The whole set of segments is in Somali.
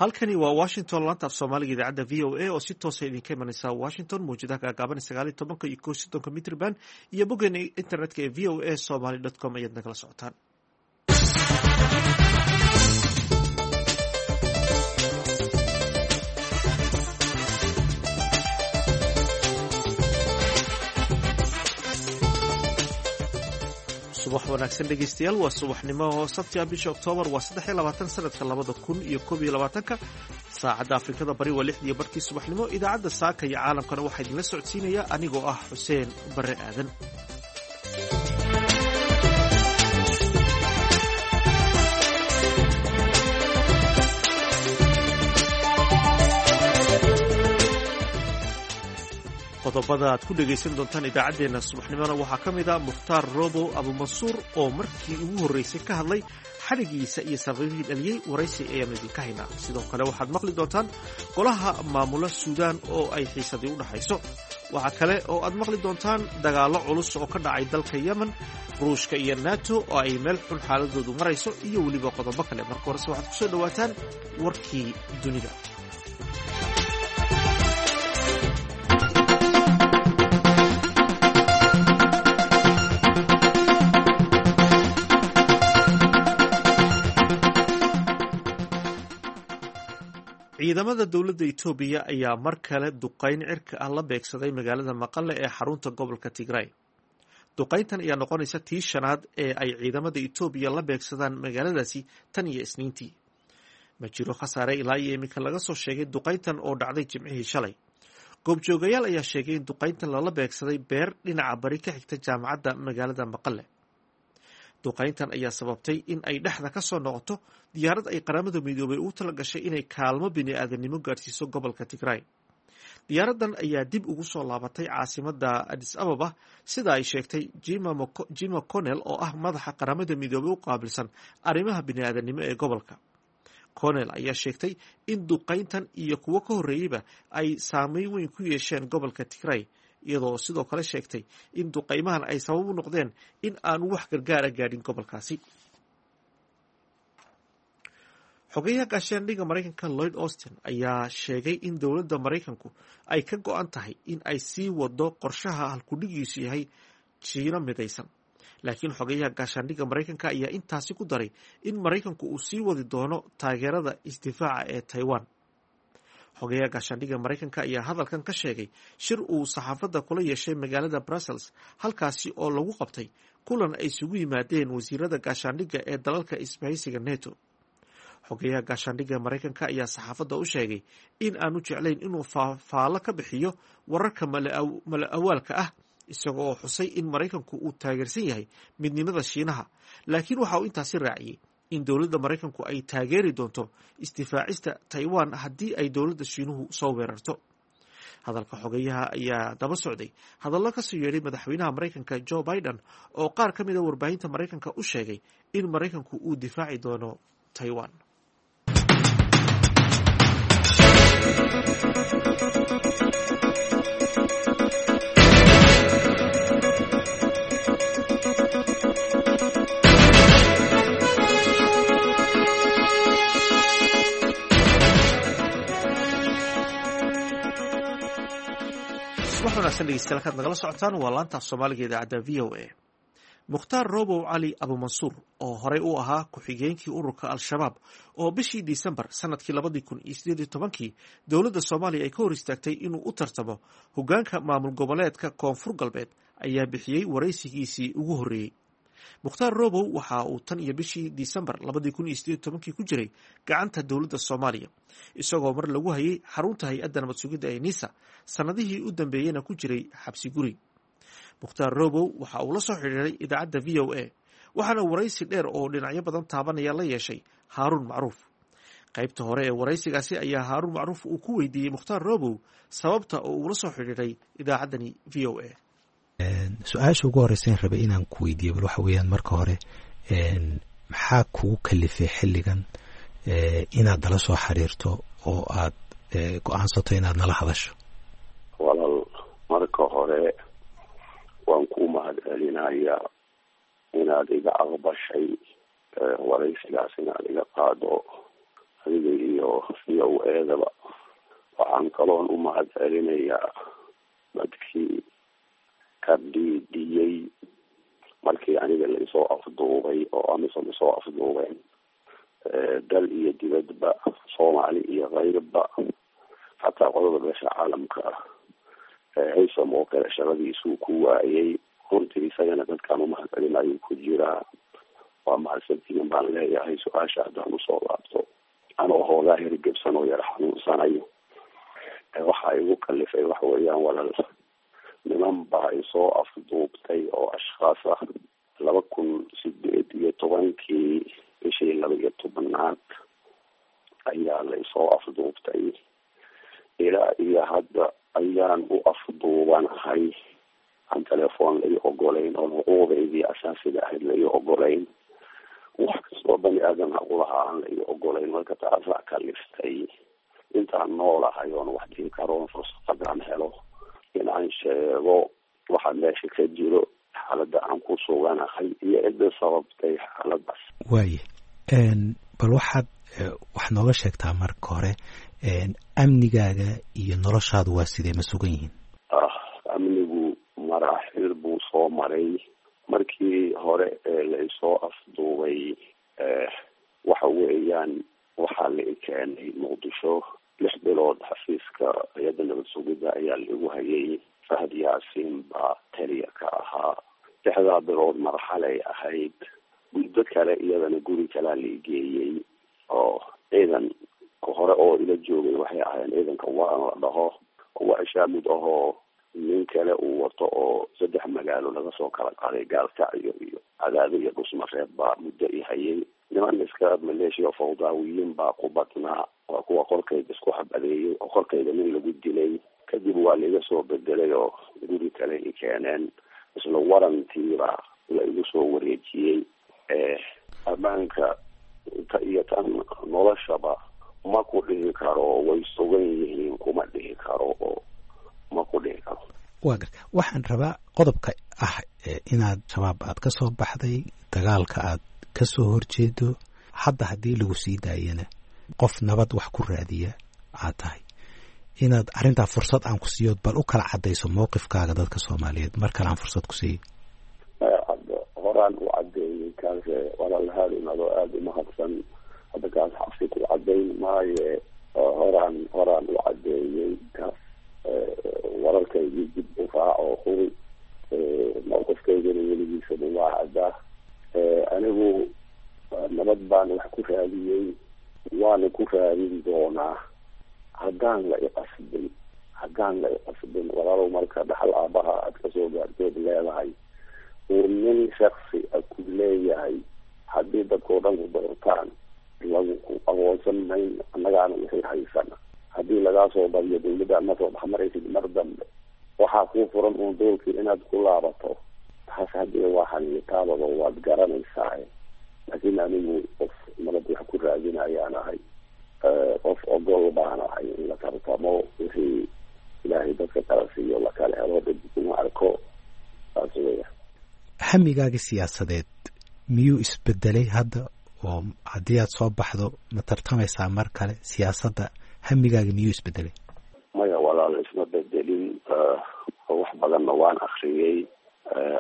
Halkani waa Washington, laanta af Soomaaliga idaacadda VOA oo si toosa idinka imanaysa Washington, mawjadaha gaagaaban 19 iyo 31 mitrban iyo boggeena internetka ee voasomali.com ayaad nagala socotaan. Subax wanaagsan dhegeystayaal, waa subaxnimo sabti ah, bisha Oktoobar waa 23, sanadka 2021-ka. Saacadda Afrikada Bari waa 6:30 subaxnimo. Idaacadda saaka iyo caalamkana waxaa idinla socodsiinaya anigoo ah Xuseen Bare Aadan. Qodobada aad ku dhegaysan doontaan idaacaddeenna subaxnimona waxaa ka mid ah Mukhtaar Robow Abumansuur oo markii ugu horreysay ka hadlay xadhigiisa iyo sababihii dhaliyey. Waraysi ayaanu idinka haynaa. Sidoo kale waxaad maqli doontaan golaha maamula Suudaan oo ay xiisadii u dhaxayso. Waxaa kale oo aad maqli doontaan dagaallo culus oo ka dhacay dalka Yemen, Ruushka iyo Nato oo ay meel xun xaaladoodu marayso, iyo weliba qodobo kale. Marka horese waxaad kusoo dhowaataan warkii dunida. Ciidamada dowladda Itoobiya ayaa mar kale duqayn cirka ah la beegsaday magaalada Maqale ee xarunta gobolka Tigray. Duqayntan ayaa noqonaysa tii shanaad ee ay ciidamada Itoobiya la beegsadaan magaaladaasi tan iyo Isniintii. Ma jiro khasaare ilaa iyo iminka laga soo sheegay duqayntan oo dhacday Jimcihii shalay. Goobjoogayaal ayaa sheegay in duqayntan lala beegsaday beer dhinaca bari ka xigta jaamacadda magaalada Maqale. Duqayntan ayaa sababtay in ay dhexda ka soo noqoto diyaarad ay Qaramada Midoobay ugu tala gashay inay kaalmo bini-aadamnimo gaadhsiiso gobolka Tigray. Diyaaraddan ayaa dib ugu soo laabatay caasimadda Adis Ababa, sida ay sheegtay Jima Conel oo ah madaxa Qaramada Midoobay u qaabilsan arrimaha bini-aadamnimo ee gobolka. Conel ayaa sheegtay in duqayntan iyo kuwo ka horreeyeyba ay saameyn weyn ku yeesheen gobolka Tigray, iyadoo sidoo kale sheegtay in duqaymahan ay sabab u noqdeen in aanu wax gargaara gaadhin gobolkaasi. Xogeyaha gaashaandhigga Maraykanka Lloyd Austin ayaa sheegay in dowladda Maraykanku ay ka go-an tahay in ay sii wado qorshaha halkudhigiisu yahay Jiino midaysan. Laakiin xogeyaha gaashaandhigga Maraykanka ayaa intaasi ku daray in Maraykanku uu sii wadi doono taageerada isdifaaca ee Taiwan. Xogeyaha gaashaandhigga Maraykanka ayaa hadalkan ka sheegay shir uu saxaafadda kula yeeshay magaalada Brussels, halkaasi oo lagu qabtay kulan ay isugu yimaadeen wasiirada gaashaandhigga ee dalalka isbahaysiga Neto. Xogeyaha gaashaandhigga Maraykanka ayaa saxaafadda u sheegay in aanu jeclayn inuu faallo ka bixiyo wararka mala awaalka ah, isaga oo xusay in Maraykanku uu taageersan yahay midnimada Shiinaha. Laakiin waxa uu intaasi raaciyey in dowladda Maraykanku ay taageeri doonto isdifaacista Taiwan haddii ay dowladda Shiinuhu soo weerarto. Hadalka xogeyaha ayaa daba socday hadallo kasoo yeedhay madaxweynaha Maraykanka Joe Biden oo qaar ka mid a warbaahinta Maraykanka u sheegay in Maraykanku uu difaaci doono Taiwan. Subax wanaagsan dhegeystayaal, kaad nagala socotaan waa laanta af Soomaaliga idaacadda VOA. Mukhtaar Robow Cali Abumansuur oo horey u ahaa ku-xigeenkii ururka Al-Shabaab oo bishii Disembar sanadkii 2018-kii dowladda Soomaaliya ay ka hor istaagtay inuu u tartamo hogaanka maamul goboleedka Koonfur Galbeed, ayaa bixiyey waraysigiisii ugu horreeyey. Mukhtaar Robow waxa uu tan iyo bishii Disembar 2018-kii ku jiray gacanta dowladda Soomaaliya, isagoo mar lagu hayay xarunta hay-adda nabad sugidda ee NISA, sanadihii u dambeeyeyna ku jiray xabsi guri. Mukhtaar Robow waxa uu la soo xidhiiray idaacadda VOA, waxaana waraysi dheer oo dhinacyo badan taabanaya la yeeshay Haaruun Macruuf. Qaybta hore ee waraysigaasi ayaa Haaruun Macruuf uu ku weydiiyey Mukhtaar Robow sababta oo uula soo xidhiiray idaacaddani VOA. Su-aasha ugu horeysan rabay inaan ku weydiiyo bal waxa weeyaan, marka hore maxaa kugu kalifay xilligan inaad nala soo xiriirto oo aad go-aansato inaad nala hadasho? Walaal, marka hore waan ku mahad celinayaa inaad iga aqbashay waraysigaas inaad iga qaado, adiga iyo VOA-daba. Waxaan kaloon u mahad celinayaa dadkii ka dhiidhiyey markii aniga la isoo afduubay oo AMISOM isoo afduubeen, dal iyo dibadba, Soomaali iyo keyrba, xataa qodobka beesha caalamka ah. Haysam oo kale shaqadiisuu ku waayey runtii, isagana dadkaan umahad celinayo ku jiraa. Waa mahadsantihiin baan leeyahay. Su-aasha haddaan usoo laabto, anoo hoogaa hirgebsan oo yar xanuunsanayo, waxa igu kalifay waxa weeyaan, walal, niman baa isoo afduubtay oo ashkhaas ah 2018-kii bishii 12aad ayaa la isoo afduubtay. Ilaa iyo hadda ayaan u afduubanahay, aan telefoon la ii ogolayn oon xuquuqdaydii asaasiga ahayd la ii ogolayn, wax kastoo bani aadam xaqulahaa aan la ii ogolayn. Marka taasaa kaliftay intaan noolahay oon wax dhihi karoon fursadaan helo in aan sheego waxa meesha ka jiro, xaaladda aan ku suganahay iyo cidda sababtay xaaladaas. Waaye, bal waxaad wax nooga sheegtaa marka hore, amnigaaga iyo noloshaadu waa sidee? Ma sugan yihiin? Amnigu maraaxil buu soo maray. Markii hore ee la isoo afduubay, waxa weeyaan, waxaa la i keenay Muqdisho. 6 bilood xafiiska hay-adda nabad sugidda ayaa laigu hayay. Fahad Yaasiin baa taliya ka ahaa. 6daa bilood marxalay ahayd. Muddo kale iyadana guri kalaa la igeeyey oo ciidan hore oo ila joogay waxay ahaayeen ciidanka waran la dhaho, oo ashaamud ahoo nin kale uu wato oo saddex magaalo laga soo kala qaaday, Gaalkacyo iyo Cadaado iyo Dhusmareeb, baa muddo i hayay. Niman iska maleeshiya fawdaawiyiin baa ku badnaa, waa kuwa qorkayga isku xabadeeyey oo qorkayga nin lagu dilay. Kadib waa laiga soo bedelay oo guri kale i keeneen, isla warantiiba la igu soo wareejiyey. Ammaanka ta iyo tan noloshaba ma ku dhihi karo way sugan yihiin, kuma dhihi karo oo ma ku dhihi karo. Waa garta. Waxaan rabaa qodobka ah inaad Shabaab aad ka soo baxday, dagaalka aad ka soo horjeedo, hadda haddii lagu sii daayana qof nabad wax ku raadiya aad tahay, inaad arrintaa fursad aan ku siiyo, bal u kala caddayso mowqifkaaga dadka Soomaaliyeed. Mar kale aan fursad ku siiyo. Horaan u caddeeyey kaas, walaalahaadin, adoo aada umahadsan. Hadda kaas xabsi ku caddayn maaye, horaan u caddeeyey kaas. Wararkaygii dib u raac oo hubi. Mawqifkaygana weligiisaba waa caddaa. Anigu nabad baan wax ku raadiyey, waana ku raadin doonaa haddaan la iqasbin, haddaan la iqasbin. Walaalow, marka dhaxal aabaha aad kasoo gaartood leedahay uu nin shaksi a ku leeyahay, haddii dadkao dhan ku doortaan lagu ku aqoonsan mayn, annagaana wixii haysana. Haddii lagaa soo badiyo dawladda ma soo dhexmaraysid mar dambe, waxaa kuu furan uun doolkii inaad ku laabato. Taas haddii waa xaniitaabado waad garanaysaa. Laakiin anigu qof nabad wax ku raadinayaan ahay, qof ogol baan ahay in la tartamo, wixii Ilaahay dadka kala siiyo la kala helo, dhib kuma arko, saas weya. Hamigaaga siyaasadeed miyuu isbedelay hadda? Oo haddii aad soo baxdo ma tartamaysaa mar kale siyaasadda? Hamigaaga miyuu isbedelay? Maya walaal, isma bedelin. Wax badanna waan akriyey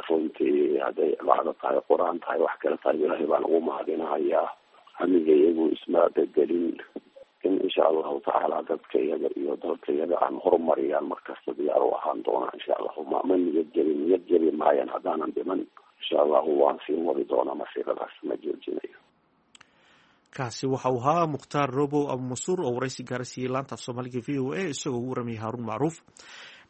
runtii. Hadday cibaado tahay, Qur-aan tahay, wax kale tahay, Ilaahay baan ugu mahadinahayaa. Hamiga iyagu isma bedelin. In insha Allahu tacaala dadka iyaga iyo dalka iyaga aan horumariyaan markasta diyaar u ahaan doonaa, insha Allahu. Ma niyad jebin, niyad jebi maayan. Haddaanan dhiman, insha Allahu waan sii wadi doonaa masiiradaas, ma joojinayo. Kaasi waxa uu ahaa Mukhtaar Robow Abumansuur oo waraysi gaara siiyey laanta af Soomaaliga VOA, isagoo ugu waramayay Haaruun Macruuf.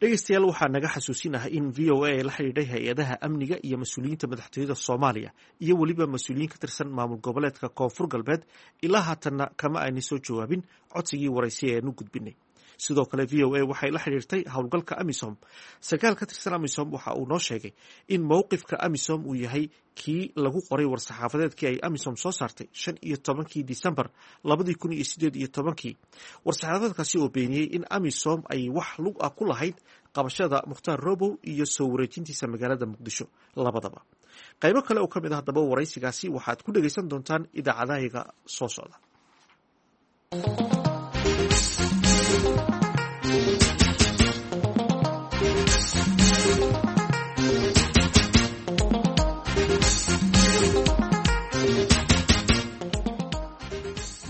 Dhegeystayaal, waxaa naga xasuusinaha in VOA ay la xidhiidhay hay-adaha amniga iyo mas-uuliyiinta madaxtooyada Soomaaliya iyo weliba mas-uuliyiin ka tirsan maamul goboleedka Koonfur Galbeed. Ilaa haatanna kama aynay soo jawaabin codsigii waraysi ee aanu gudbinay. Sidoo kale VOA waxay la xidhiirtay howlgalka AMISOM. Sarkaal ka tirsan AMISOM waxa uu noo sheegay in mowqifka AMISOM uu yahay kii lagu qoray war-saxaafadeedkii ay AMISOM soo saartay 15-kii Disembar 2018-kii, war-saxaafadeedkaasi oo beeniyey in AMISOM ay wax lug ah ku lahayd qabashada Mukhtaar Robow iyo soo wareejintiisa magaalada Muqdisho labadaba. Qaybo kale oo ka mid ah haddaba waraysigaasi waxaad ku dhegeysan doontaan idaacadahayga soo socda.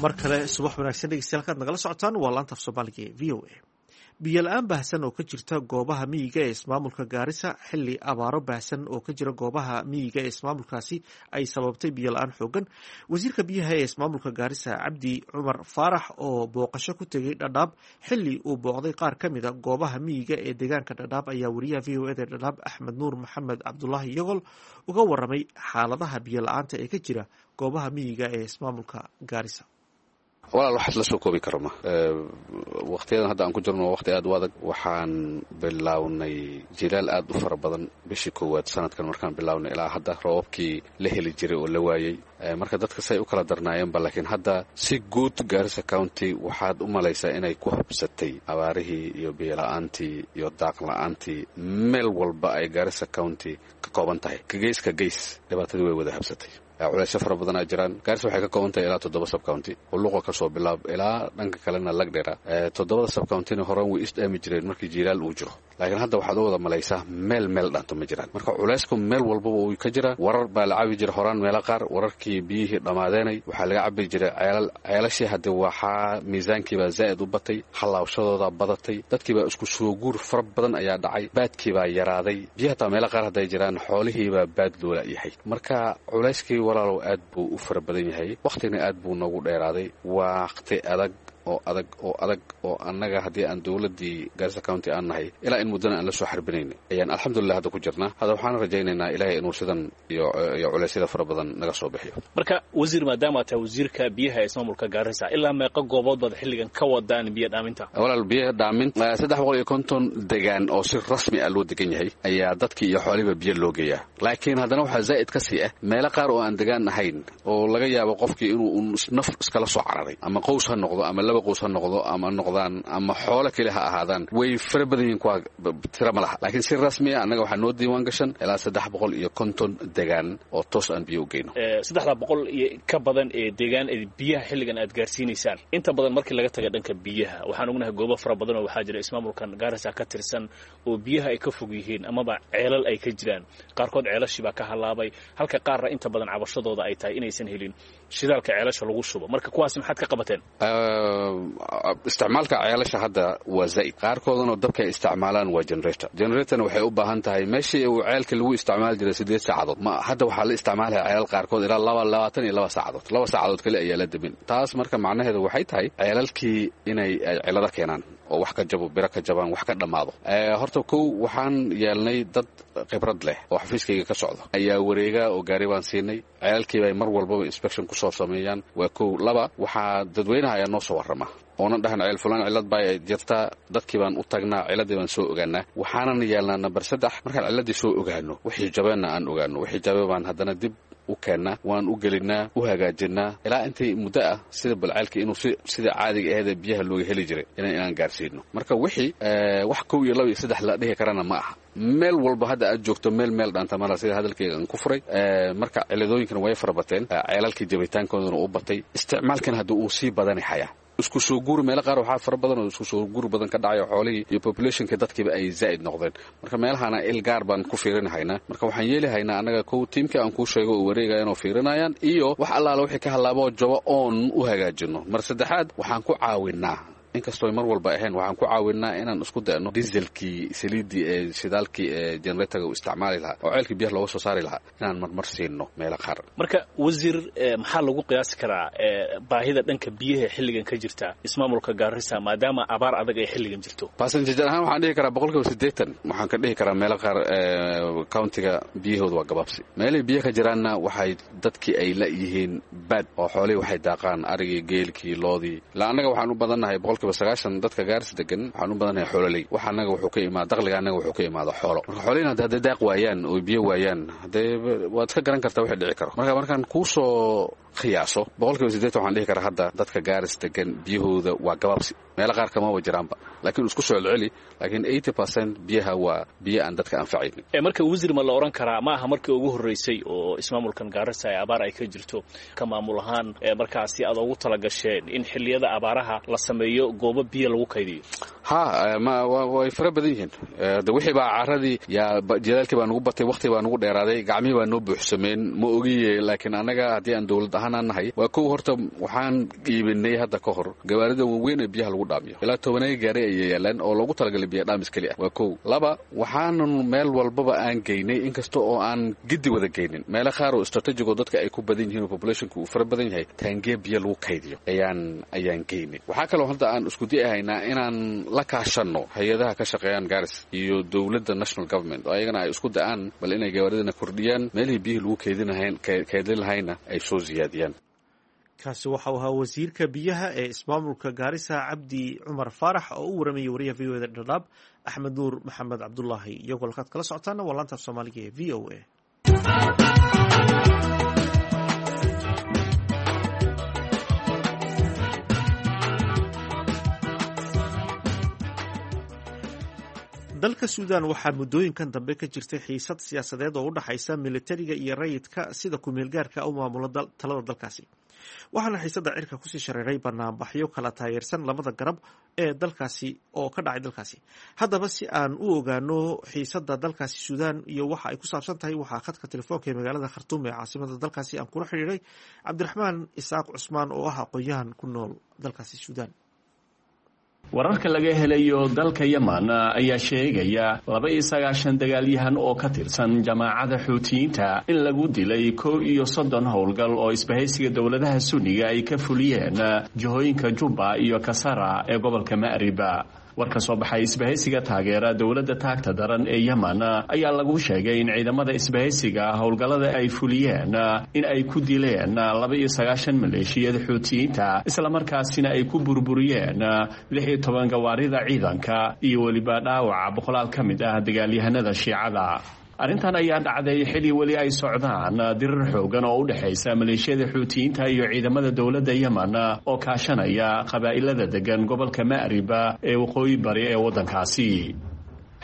Mar kale subax wanaagsan dhegeystayaal, kaad nagala socotaan waa laanta af Soomaaliga ee VOA. Biyo la-aan baahsan oo ka jirta goobaha miyiga ee ismaamulka Gaarisa, xilli abaaro baahsan oo ka jira goobaha miyiga ee ismaamulkaasi ay sababtay biyo la-aan xoogan. Wasiirka biyaha ee ismaamulka Gaarisa, Cabdi Cumar Faarax, oo booqasho ku tegey Dhadhaab, xilli uu booqday qaar ka mid a goobaha miyiga ee deegaanka Dhadhaab, ayaa wariyaha VOA da Dhadhaab, Axmed Nuur Maxamed Cabdulaahi Yogol, uga waramay xaaladaha biyo la-aanta ee ka jira goobaha miyiga ee ismaamulka Gaarisa. Walaal, waxaas la soo koobi karo ma. Wakhtiyadan hadda aan ku jirno waa waqti aad u adag. Waxaan bilownay jilaal aad u fara badan bishii koowaad sanadkan. Markaan bilownay ilaa hadda roobabkii la heli jiray oo la waayey, marka dadka say u kala darnaayeenba. Laakiin hadda si guud Gaarisa County waxaad u malaysaa inay ku habsatay abaarihii iyo biyola'aantii iyo daaq la'aantii. Meel walba ay Gaarisa County ka kooban tahay, gees ka gees, dhibaatadii way wada habsatay. Culeysyo fara badanaa jiraan. Gaarisa waxay ka kooban tahay ilaa toddoba subcounty, Hulluqa ka soo bilaab ilaa dhanka kalena Lagdhera. Toddobada subcountyna horaan way isdhaami jireen markii jiilaal uu jiro, laakiin hadda waxaad u wada malaysaa meel meel dhaanto ma jiraan. Marka culeysku meel walbaba uu ka jiraa. Warar baa la cabi jiray horaan meelo qaar, wararkii biyihii dhammaadeynay waxaa laga cabi jiray ceelal. Ceelashii hadde waxaa miisaankiibaa zaa'id u batay, hallaabshadoodaa badatay, dadkiibaa isku soo guur fara badan ayaa dhacay, baadkiibaa yaraaday. Biyo hataa meelo qaar hadday jiraan, xoolihiibaa baad loola yahay. Marka culayskii, walaalow, aad buu u fara badan yahay, wakhtigna aad buu noogu dheeraaday. Waqti adag oo adag oo adag oo annaga haddii aan dowladdii Gaarisa County aan nahay ilaa in muddana aan la soo xarbinayna ayaan alxamdulillah hadda ku jirnaa. Hadda waxaan rajaynaynaa Ilaahay inuu sidan iyo culeysyada fara badan naga soo bixiyo. Marka wasiir, maadaama tahay wasiirka biyaha ee ismaamulka Gaarisa, ilaa meeqa goobood baad xilligan ka wadaan biyo dhaaminta? Walaal, biyaha dhaamin 350 degaan oo si rasmi ah loo degan yahay ayaa dadkii iyo xoolihiiba biyo loo geeyaa. Laakiin haddana waxaa zaa'id ka sii ah meelo qaar oo aan degaan ahayn oo laga yaabo qofkii inuu naf iskala soo cararay, ama qows ha noqdo ama laba qows ha noqdo ama noqdaan ama xoolo keli ha ahaadaan. Way fara badan yihiin kuwa, tira ma laha. Laakiin si rasmi ah annaga waxaa noo diiwaan gashan ilaa 350 degaan oo toos aan biyo u geyno. 300 iyo ka badan ee deegaan ee biyaha xilligan aad gaarsiinaysaan, inta badan markii laga taga dhanka biyaha, waxaan ognahay goobo fara badan oo waxaa jira ismaamulkan Gaarisa ka tirsan oo biyaha ay ka fog yihiin amaba ceelal ay ka jiraan. Qaarkood ceelashii baa ka halaabay, halka qaarna inta badan cabashadooda ay tahay inaysan helin shidaalka ceelasha lagu shubo. Marka kuwaas maxaad ka qabateen? Isticmaalka ceelasha hadda waa zaa'id. Qaarkoodana dabka ay isticmaalaan waa generator. Generatorna waxay u baahan tahay meeshii uu ceelka lagu isticmaali jiray 8 saacadood, ma hadda waxaa la isticmaalaya ceelal qaarkood ilaa 22 saacadood. 2 saacadood kale ayaa la demin taas. Marka macnaheedu waxay tahay ceelalkii inay ay cilado keenaan oo wax ka jabo, biro ka jabaan, wax ka dhammaado. Horta kow waxaan yeelnay dad khibrad leh oo xafiiskayga ka socdo ayaa wareega oo gaari baan siinay. Ceelalkii bay mar walbaba inspection kusoo sameeyaan. Waa kow. Laba, waxaa dadweynaha ayaa noo soo warrama oonan dhahan ceel fulaan cillad baa jirtaa. Dadkii baan u tagnaa, cilladii baan soo ogaanaa. Waxaanan yeelnaa nambar saddex, markaan cilladii soo ogaano, wixii jabeenna aan ogaano, wixii jabe baan haddana dib u keennaa, waan u gelinaa, u hagaajinaa ilaa intay muddo ah sida balceelka inuu sida caadiga aheedee biyaha looga heli jiray inaan gaarsiino. Marka wixii wax kow iyo laba iyo saddex la dhihi karana ma aha. Meel walba hadda aad joogto meel meel dhaanta mala, sida hadalkayga aan ku furay. Marka ciladooyinkana way fara bateen, ceelalkii jabitaankoodana u batay, isticmaalkan hadda uu sii badani hayaa. Isku soo guur meelo qaar waxaa fara badan oo isku soo guur badan ka dhacayo, xoolihii iyo populationka dadkiiba ay zaa'id noqdeen. Marka meelahana il gaar baan ku fiirinahaynaa. Marka waxaan yeeli haynaa annaga kow tiimkii aan kuu sheego oo wareegayan oo fiirinayaan iyo wax allaala wixii ka hallaabo jabo oon u hagaajino. Mar saddexaad waxaan ku caawinaa, inkastoo mar walba ahayn, waxaan ku caawinaa inaan isku dayno dieselkii, saliiddii ee shidaalkii ee generatorga uu isticmaali lahaa oo ceelkii biyaha looga soo saari lahaa inaan marmar siino meelo qaar. Marka wasiir, maxaa lagu qiyaasi karaa baahida dhanka biyaha xilligan ka jirta ismaamulka Gaarisa, maadaama abaar adag ay xilligan jirto? Percentage ahaan waxaan dhihi karaa 80%. Waxaan ka dhihi karaa meelo qaar countiga biyahooda waa gabaabsi. Meelay biyo ka jiraanna waxay dadkii ay la yihiin baad oo xoolihii waxay daaqaan, arigii, geelkii, loodii. Ilaa annaga waxaan u badannahay 90% dadka Gaaris degan waxaan u badannahay xoololey. Wax annaga wuxuu ka imaada dakhliga annaga wuxuu ka imaada xoolo. Marka xoolihina hadday daaq waayaan oo biyo waayaan, haddee waad iska garan kartaa wixii dhici karo. Marka markaan kuu soo qiyaaso, 80% waxaan dhihi karaa hadda dadka Gaaris degan biyahooda waa gabaabsi. Meelo qaar kamaba jiraanba, laakiin isku soo celceli, laakiin 80% biyaha waa biyo aan dadka anfacaynin. Marka wasiir, ma la odhan karaa ma aha markii ugu horreysay oo ismaamulkan Gaarisa ee abaar ay ka jirto, ka maamul ahaan markaasi aad ugu tala gasheen in xilliyada abaaraha la sameeyo goobo biyo lagu kaydiyo? Ha, way fara badan yihiin. De wixii baa caradii yaa jilaalkii baa nugu batay, waqti baa nugu dheeraaday, gacmihii baa noo buuxsameen, ma ogiye. Laakiin annaga haddii aan dowlad ahaan aan nahay, waa kow, horta waxaan iibinay hadda ka hor gawaarida waaweyn ee biyaha lagu dhaamiyo, ilaa 10 gaari ayay yaalaan oo loogu talagalay biya dhaamis keli ah, waa kow. Laba, waxaanan meel walbaba aan geynay, inkasta oo aan giddi wada geynin, meelo qaar oo strategic oo dadka ay ku badan yihiin oo populationka uu fara badan yahay, taangiya biyo lagu kaydiyo ayaan geynay. Waxaa kaloo hadda aan isku di'ahaynaa inaan la kaashanno hay-adaha ka shaqeeyaan Garis iyo dowladda national government, oo ayagana ay isku da'aan bal inay gawaaridana kordhiyaan, meelihii biyihii lagu keydin lahayna ay soo siyaadiyaan. Kaasi waxau ahaa wasiirka biyaha ee ismaamulka Gaarisa, Cabdi Cumar Faarax, oo u waramayay wariyaha VOA da Dhadhaab, Axmed Nuur Maxamed Cabdulaahi. Iyagoo halkaad kala socotaana waa laanta af Soomaaliga ee VOA. Dalka Suudan waxaa muddooyinkan dambe ka jirtay xiisad siyaasadeed oo u dhexaysa militariga iyo rayidka sida ku-meelgaarka u maamula talada dalkaasi, waxaana xiisadda cirka kusii shareeray banaanbaxyo kala taageersan labada garab ee dalkaasi oo ka dhacay dalkaasi. Haddaba, si aan u ogaano xiisadda dalkaasi Suudan iyo waxa ay ku saabsan tahay, waxaa khadka telefoonka ee magaalada Khartuum ee caasimada dalkaasi aan kula xidhiiray Cabdiraxmaan Isaaq Cusmaan oo ah aqoon-yahan ku nool dalkaasi Suudan. Wararka laga helayo dalka Yeman ayaa sheegaya 92 dagaalyahan oo ka tirsan jamaacada Xuutiyiinta in lagu dilay 31 howlgal oo isbahaysiga dowladaha Sunniga ay ka fuliyeen jihooyinka Jubba iyo Kasara ee gobolka Ma'riba. War ka soo baxay isbahaysiga taageera dowladda taagta daran ee Yeman ayaa lagu sheegay in ciidamada isbahaysiga howlgallada ay fuliyeen in ay ku dileen 92 maleeshiyada Xuutiyiinta, islamarkaasina ay ku burburiyeen 16 gawaarida ciidanka iyo weliba dhaawaca boqolaal ka mid ah dagaalyahanada Shiicada. Arrintan ayaa dhacday xili weli ay socdaan dirir xoogan oo u dhexaysa maleeshiyada Xuutiyiinta iyo ciidamada dowladda Yeman oo kaashanaya qabaa'ilada degan gobolka Ma'riba ee waqooyi bari ee waddankaasi.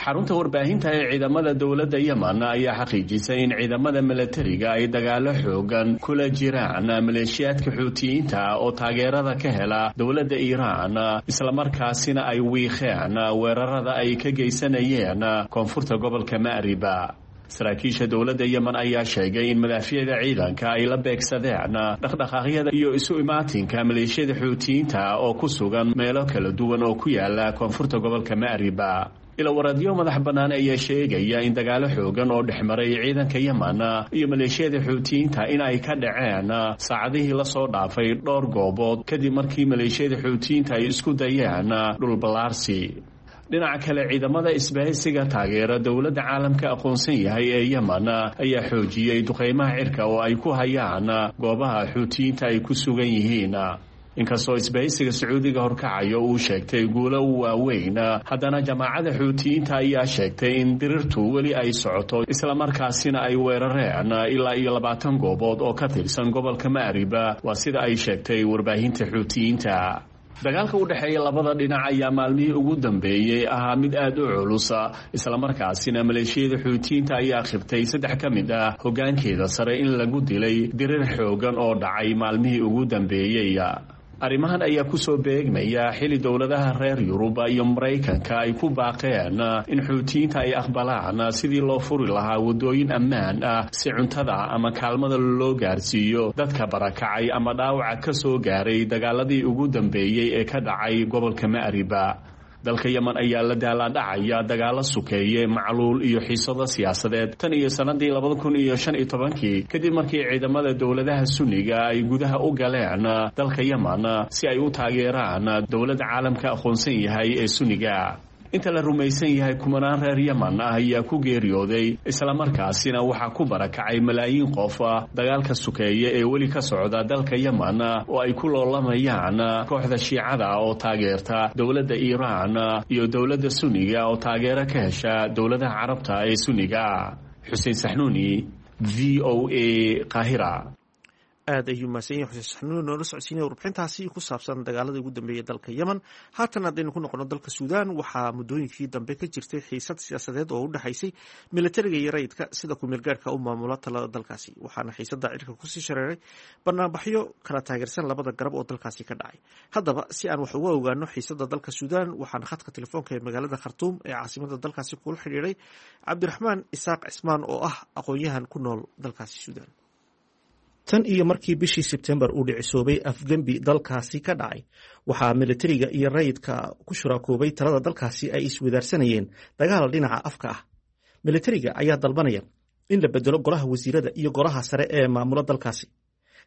Xarunta warbaahinta ee ciidamada dowladda Yeman ayaa xaqiijisay in ciidamada milatariga ay dagaalo xoogan kula jiraan maleeshiyaadka Xuutiyiinta oo taageerada ka hela dowladda Iiraan, islamarkaasina ay wiiqeen weerarada ay ka geysanayeen koonfurta gobolka Ma'riba. Saraakiisha dowladda Yemen ayaa sheegay in madaafiicda ciidanka ay la beegsadeen dhaqdhaqaaqyada iyo isu imaatinka maleeshiyada Xuutiyiinta oo ku sugan meelo kala duwan oo ku yaala koonfurta gobolka Ma'riba. Ilawaradyo madax bannaan ayaa sheegaya in dagaalo xoogan oo dhexmaray ciidanka Yeman iyo maleeshiyada Xuutiyiinta in ay ka dhaceen saacadihii lasoo dhaafay dhowr goobood, kadib markii maleeshiyada Xuutiyiinta ay isku dayeen dhulballaarsi. Dhinaca kale, ciidamada isbahaysiga taageera dowladda caalamka aqoonsan yahay ee Yeman ayaa xoojiyey duqeymaha cirka oo ay ku hayaan goobaha Xuutiyiinta ay ku sugan yihiin. Inkastoo isbahaysiga Sacuudiga horkacayo uu sheegtay guulo waaweyn, haddana jamaacada Xuutiyiinta ayaa sheegtay in dirirtu weli ay socoto, islamarkaasina ay weerareen ilaa iyo 20 goobood oo ka tirsan gobolka Ma'riba, waa sida ay sheegtay warbaahinta Xuutiyiinta. Dagaalka u dhexeeya labada dhinac ayaa maalmihii ugu dambeeyey ahaa mid aad u culusa, islamarkaasina maleeshiyada Xuutiyiinta ayaa khibtay saddex ka mid ah hoggaankeeda sare in lagu dilay dirir xoogan oo dhacay maalmihii ugu dambeeyey. Arrimahan ayaa kusoo beegmaya xili dowladaha reer Yuruba iyo Maraykanka ay ku baaqeen in Xuutiyiinta ay aqbalaan sidii loo furi lahaa waddooyin ammaan ah si cuntada ama kaalmada loo gaarsiiyo dadka barakacay ama dhaawaca ka soo gaaray dagaaladii ugu dambeeyey ee ka dhacay gobolka Ma'riba. Dalka Yeman ayaa la daalaadhacaya dagaalo sukeeye, macluul iyo xiisado siyaasadeed tan iyo sanadii 2015-kii, kadib markii ciidamada dowladaha Sunniga ay gudaha u galeen dalka Yeman si ay u taageeraan dowladda caalamka aqoonsan yahay ee Sunniga. Inta la rumaysan yahay kumanaan reer Yeman ah ayaa ku geeriyooday, islamarkaasina waxaa ku barakacay malaayiin qof dagaalka sukeeye ee weli ka socda dalka Yeman oo ay ku loolamayaan kooxda Shiicada oo taageerta dowladda Iiraan iyo dowladda Sunniga oo taageero ka hesha dowladaha Carabta ee Sunniga. Xuseen Saxnuuni, VOA, Qaahira. Aad ayuu mahadsan yahay Xuseen Saxnuun noola socodsiinaya warbixintaasi ku saabsan dagaaladii ugu dambeeyay dalka Yemen. Haatan haddaynu ku noqono dalka Suudaan, waxaa muddooyinkii dambe ka jirtay xiisad siyaasadeed oo u dhexaysay militariga iyo rayidka sida ku-meelgaarhka u maamula talada dalkaasi, waxaana xiisadda cirka kusii shareeray banaanbaxyo kala taageersan labada garab oo dalkaasi ka dhacay. Haddaba, si aan wax uga ogaano xiisadda dalka Suudaan, waxaana khadka telefoonka ee magaalada Khartuum ee caasimada dalkaasi kula xidhiiray Cabdiraxmaan Isaaq Cismaan oo ah aqoon-yahan ku nool dalkaasi Suudaan. Tan iyo markii bishii Sebtembar uu dhicisoobay afgembi dalkaasi ka dhacay, waxaa militariga iyo rayidka ku shuraakoobay talada dalkaasi ay iswadaarsanayeen dagaal dhinaca afka ah. Militariga ayaa dalbanaya in la bedelo golaha wasiirada iyo golaha sare ee maamula dalkaasi.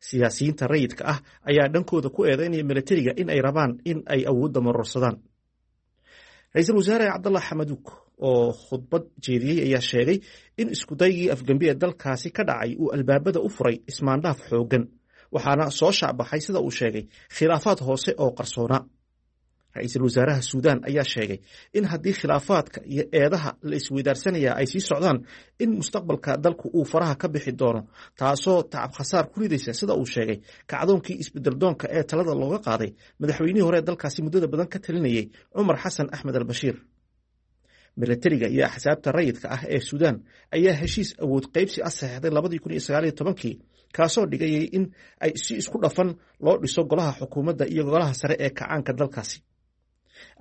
Siyaasiyiinta rayidka ah ayaa dhankooda ku eedeynaya militariga in ay rabaan in ay awoodda marorsadaan. Ra-iisul wasaare Cabdallah Xamaduug oo khudbad jeediyey ayaa sheegay in iskudaygii afgembi ee dalkaasi ka dhacay uu albaabada u furay ismaandhaaf xooggan, waxaana soo shaacbaxay, sida uu sheegay, khilaafaad hoose oo qarsoonaa. Ra-iisul wasaaraha Suudaan ayaa sheegay in haddii khilaafaadka iyo eedaha la isweydaarsanaya ay sii socdaan, in mustaqbalka dalku uu faraha ka bixi doono, taasoo tacab khasaar ku ridaysa, sida uu sheegay, kacdoonkii isbedeldoonka ee talada looga qaaday madaxweynihii hore ee dalkaasi muddada badan ka talinayay, Cumar Xasan Axmed Albashiir. Milatariga iyo axsaabta rayidka ah ee Suudaan ayaa heshiis awood qaybsi ah saxeexday 2019-kii, kaasoo dhigayay in ay si isku dhafan loo dhiso golaha xukuumadda iyo golaha sare ee kacaanka dalkaasi.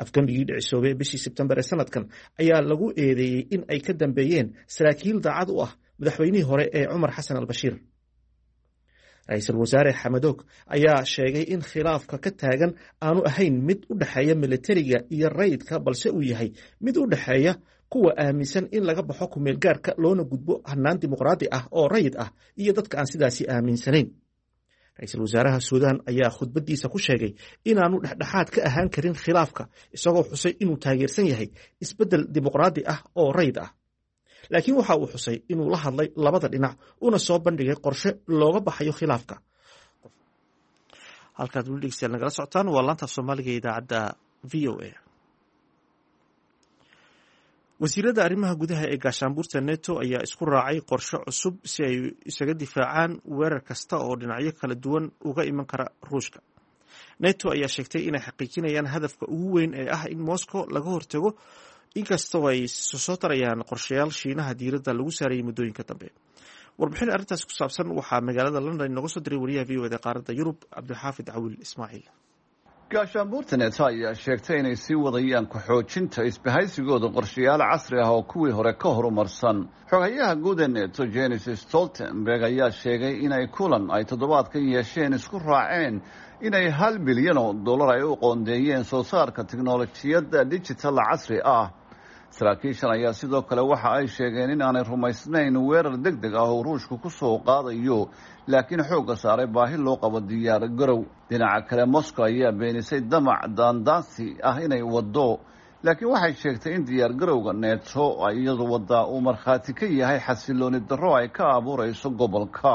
Afgembigii dhicisoobay bishii Sebtembar ee sanadkan ayaa lagu eedeeyey in ay ka dambeeyeen saraakiil daacad u ah madaxweynihii hore ee Cumar Xasan Albashiir. Ra-iisul wasaare Xamadoog ayaa sheegay in khilaafka ka taagan aanu ahayn mid u dhexeeya militariga iyo rayidka, balse uu yahay mid u dhexeeya kuwa aaminsan in laga baxo kumeelgaarka loona gudbo hanaan dimuqraadi ah oo rayid ah iyo dadka aan sidaasi aaminsanayn. Ra-iisul wasaaraha Suudaan ayaa khudbadiisa ku sheegay inaanu dhexdhexaad ka ahaan karin khilaafka, isagoo xusay inuu taageersan yahay isbeddel dimuqraadi ah oo rayid ah, laakiin waxa uu xusay inuu la hadlay labada dhinac una soo bandhigay qorshe looga baxayo khilaafka. Halkaad weli dhegeystayaal nagala socotaan waa laanta af Soomaaliga ee idaacadda VOA. Wasiirada arrimaha gudaha ee gaashaanbuurta Neto ayaa isku raacay qorshe cusub si ay isaga difaacaan weerar kasta oo dhinacyo kala duwan uga iman kara Ruushka. Neto ayaa sheegtay inay xaqiijinayaan hadafka ugu weyn ee ah in Moscow laga hortago, inkastoo ay soo tarayaan qorshayaal Shiinaha diiradda lagu saarayay muddooyinka dambe. Warbixin arrintaas ku saabsan waxaa magaalada London inooga soo diray wariyaha VOA da qaaradda Yurub, Cabdixaafid Cawil Ismaaciil. Gaashaanbuurta Neto ayaa sheegtay inay sii wadayaan ku-xoojinta isbahaysigooda qorshayaal casri ah oo kuwii hore ka horumarsan. Xogayaha guud ee Neto, Jenis Stoltenberg, ayaa sheegay inay kulan ay toddobaadkan yeesheen isku raaceen inay $1 bilyan ay u qoondeeyeen soo saarka tiknolojiyadda digital casri ah. Saraakiishan ayaa sidoo kale waxa ay sheegeen in aanay rumaysnayn weerar deg deg ah oo Ruushku ku soo qaadayo, laakiin xoogga saaray baahi loo qabo diyaar garow. Dhinaca kale, Moscow ayaa beenisay damac daandaansi ah inay waddo, laakiin waxay sheegtay in diyaar garowga Neto iyadu waddaa uu markhaati ka yahay xasilooni darro ay ka abuurayso gobolka.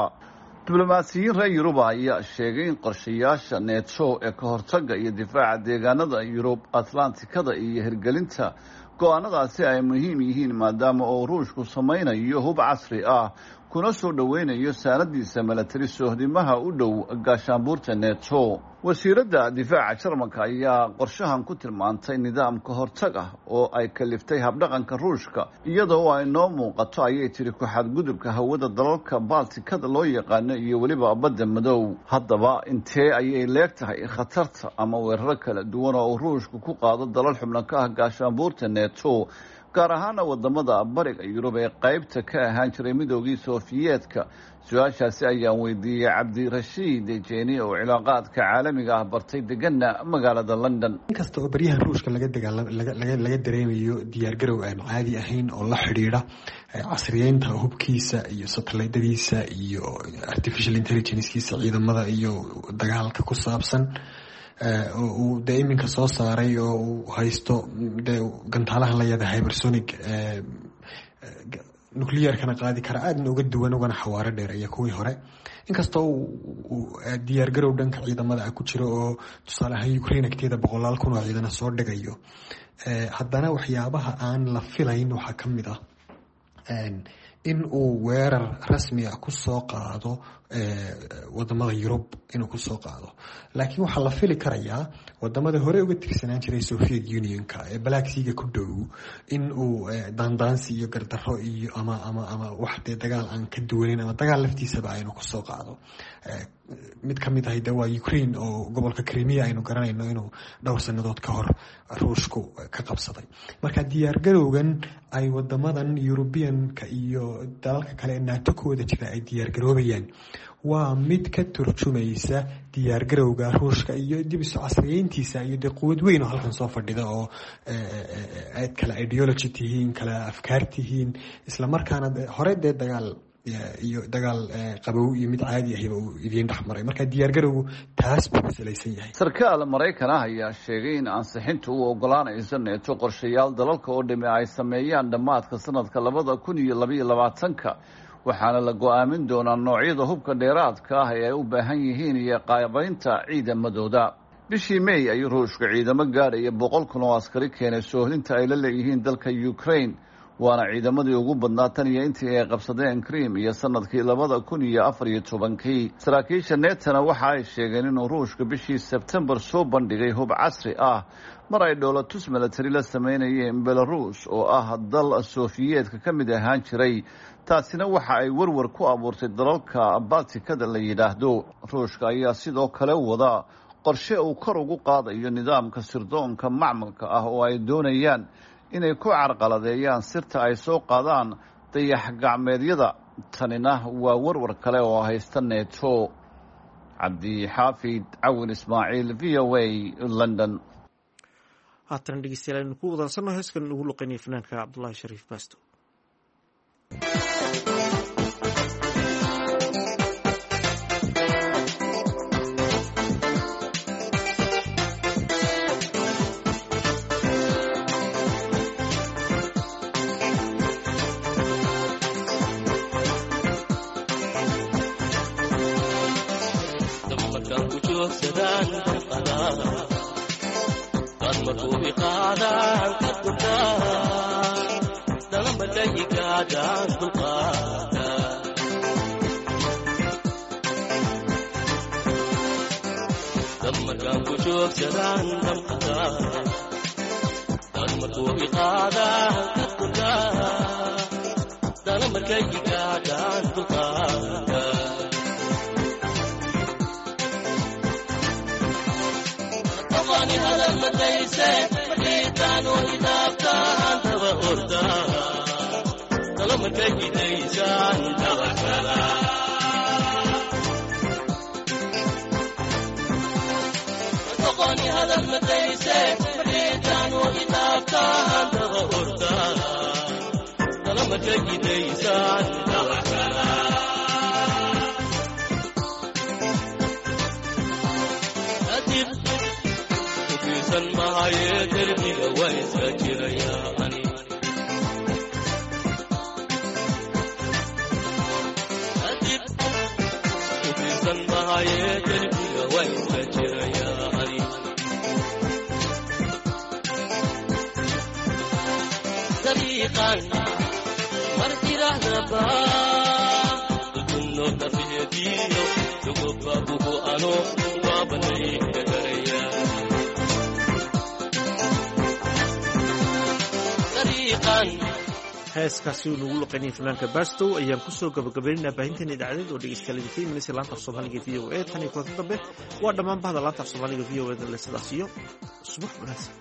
Diblomaasiyiin reer Yuruba ayaa sheegay in qorshayaasha Neto ee ka hortagga iyo difaaca deegaanada Yurub Atlantikada iyo hirgelinta go-aanadaasi ay muhiim yihiin, maadaama oo Ruushku samaynayo hub casri ah kuna soo dhoweynayo saanadiisa milatari soohdimaha u dhow gaashaanbuurta Neto. Wasiiradda difaaca Jarmalka ayaa qorshahan ku tilmaantay nidaam ka hortag ah oo ay kaliftay habdhaqanka Ruushka, iyadoo ay noo muuqato, ayay tiri, ku-xadgudubka hawada dalalka Baltikada loo yaqaano iyo weliba Badda Madow. Haddaba, intee ayay leeg tahay khatarta ama weeraro kala duwan oo uu Ruushku ku qaado dalal xubno ka ah gaashaanbuurta Neto, gaar ahaana wadamada bariga Yurub ee qaybta ka ahaan jiray Midoogii Sofiyeetka? Su-aashaasi ayaan weydiiyey Cabdirashiid Jeeni oo cilaaqaadka caalamiga ah bartay, degana magaalada London. Inkasta oo baryahan Ruushka laga dagaalaga dareemayo diyaargarow aan caadi ahayn oo la xidhiidha casriyeynta hubkiisa iyo satellaydyadiisa iyo artificial intelligencekiisa ciidamada iyo dagaalka ku saabsan, oo uu dee iminka soo saaray oo uu haysto dee gantaalahan la yada hypersonic, nuclearkana qaadi kara, aadna uga duwan ugana xawaaro dheer iyo kuwii hore. Inkastoo uu diyaargarow dhanka ciidamada ah ku jiro oo tusaale ahaan Ukraine agteeda boqolaal kun oo ciidana soo dhigayo, haddana waxyaabaha aan la filayn waxaa ka mid ah in uu weerar rasmi ah kusoo qaado Wadamada Yurub inuu kusoo qaado. Laakiin waxaa la fili karayaa wadamada hore uga tirsanaan jiray Soviet Unionka ee Black Seaga ku dhow in uu daandaansi iyo gardaro iyo ama wax dee dagaal aan ka duwaneyn ama dagaal laftiisaba aynu kusoo qaado. Mid ka mid ahay de waa Ukraine oo gobolka Crimea aynu garanayno inuu dhowr sanadood ka hor Ruushku ka qabsaday. Marka diyaargarowgan ay wadamadan Europeanka iyo dalalka kale ee NATO ku wada jira ay diyaargaroobayaan waa mid ka turjumaysa diyaargarowga Ruushka iyo dib isu casriyeyntiisa iyo dee quwad weyn oo halkan soo fadhida oo aad kala ideology tihiin, kala afkaar tihiin, islamarkaana hore dee dagaal iyo dagaal qabow iyo mid caadi ahiba uu idiin dhexmaray. Marka diyaargarowgu taas buu ku salaysan yahay. Sarkaal Maraykan ah ayaa sheegay in ansixintu u ogolaanayso Neeto qorshayaal dalalka oo dhimi ay sameeyaan dhammaadka sanadka 2022-ka, waxaana la go-aamin doonaa noocyada hubka dheeraadka ah ee ay u baahan yihiin iyo qaabaynta ciidamadooda. Bishii May ayuu Ruushka ciidamo gaadhaya 100,000 oo askari keenay soohlinta ay la leeyihiin dalka Ukraine, waana ciidamadii ugu badnaa tan iyo intii ay qabsadeen Krim iyo sanadkii 2014-kii. Saraakiisha Netona waxa ay sheegeen inuu Ruushka bishii Sebtembar soo bandhigay hub casri ah mar ay dhoolatus milatari la sameynayeen Belarus oo ah dal Sofiyeedka ka mid ahaan jiray. Taasina waxa ay warwar ku abuurtay dalalka Baltikada la yidhaahdo. Ruushka ayaa sidoo kale wada qorshe uu kor ugu qaadayo nidaamka sirdoonka macmalka ah oo ay doonayaan inay ku carqaladeeyaan sirta ay soo qaadaan dayax gacmeedyada. Tanina waa warwar kale oo haysta Neto. Cabdixaafid Cawin Ismaaciil, VOA, London. Haatan dhegeystayaal, aynu ku wadansano heeskan ugu luqeynaya fanaanka Cabdullaahi Shariif Baasto. Heeskaasi uu nagu luqeynayay fanaanka Bastow ayaan kusoo gabagabaynaynaa baahinteena idaacadeed oo dhegeystayaal idinka imanaysa laanta af Soomaaliga VOA. Tan iyo kulanti dambe, waa dhammaan bahda laanta af Soomaaliga VOA da le sidaas iyo subax wanaagsan.